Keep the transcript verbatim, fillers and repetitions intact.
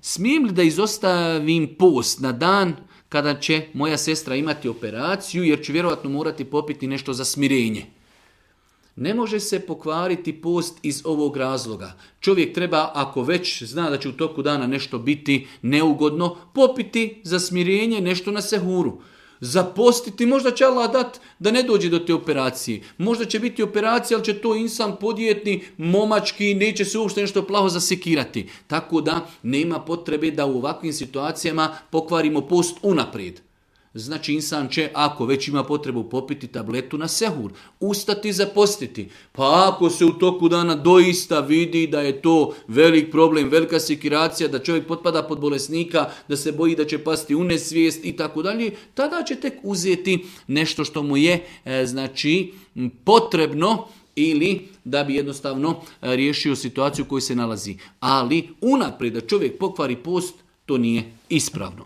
smijem li da izostavim post na dan kada će moja sestra imati operaciju, jer ću vjerojatno morati popiti nešto za smirenje. Ne može se pokvariti post iz ovog razloga. Čovjek treba, ako već zna da će u toku dana nešto biti neugodno, popiti za smirenje nešto na sehuru. Zapostiti, možda će Allah dat da ne dođe do te operacije. Možda će biti operacija, ali će to insan podjetni, momački, neće se uopšte nešto plaho zasekirati. Tako da nema potrebe da u ovakvim situacijama pokvarimo post unaprijed. Znači insan će, ako već ima potrebu popiti tabletu na sehur, ustati zapostiti. Pa ako se u toku dana doista vidi da je to velik problem, velika sekiracija, da čovjek potpada pod bolesnika, da se boji da će pasti u nesvijest i tako dalje, tada će tek uzeti nešto što mu je e, znači potrebno ili da bi jednostavno riješio situaciju u kojoj se nalazi. Ali unaprijed da čovjek pokvari post, to nije ispravno.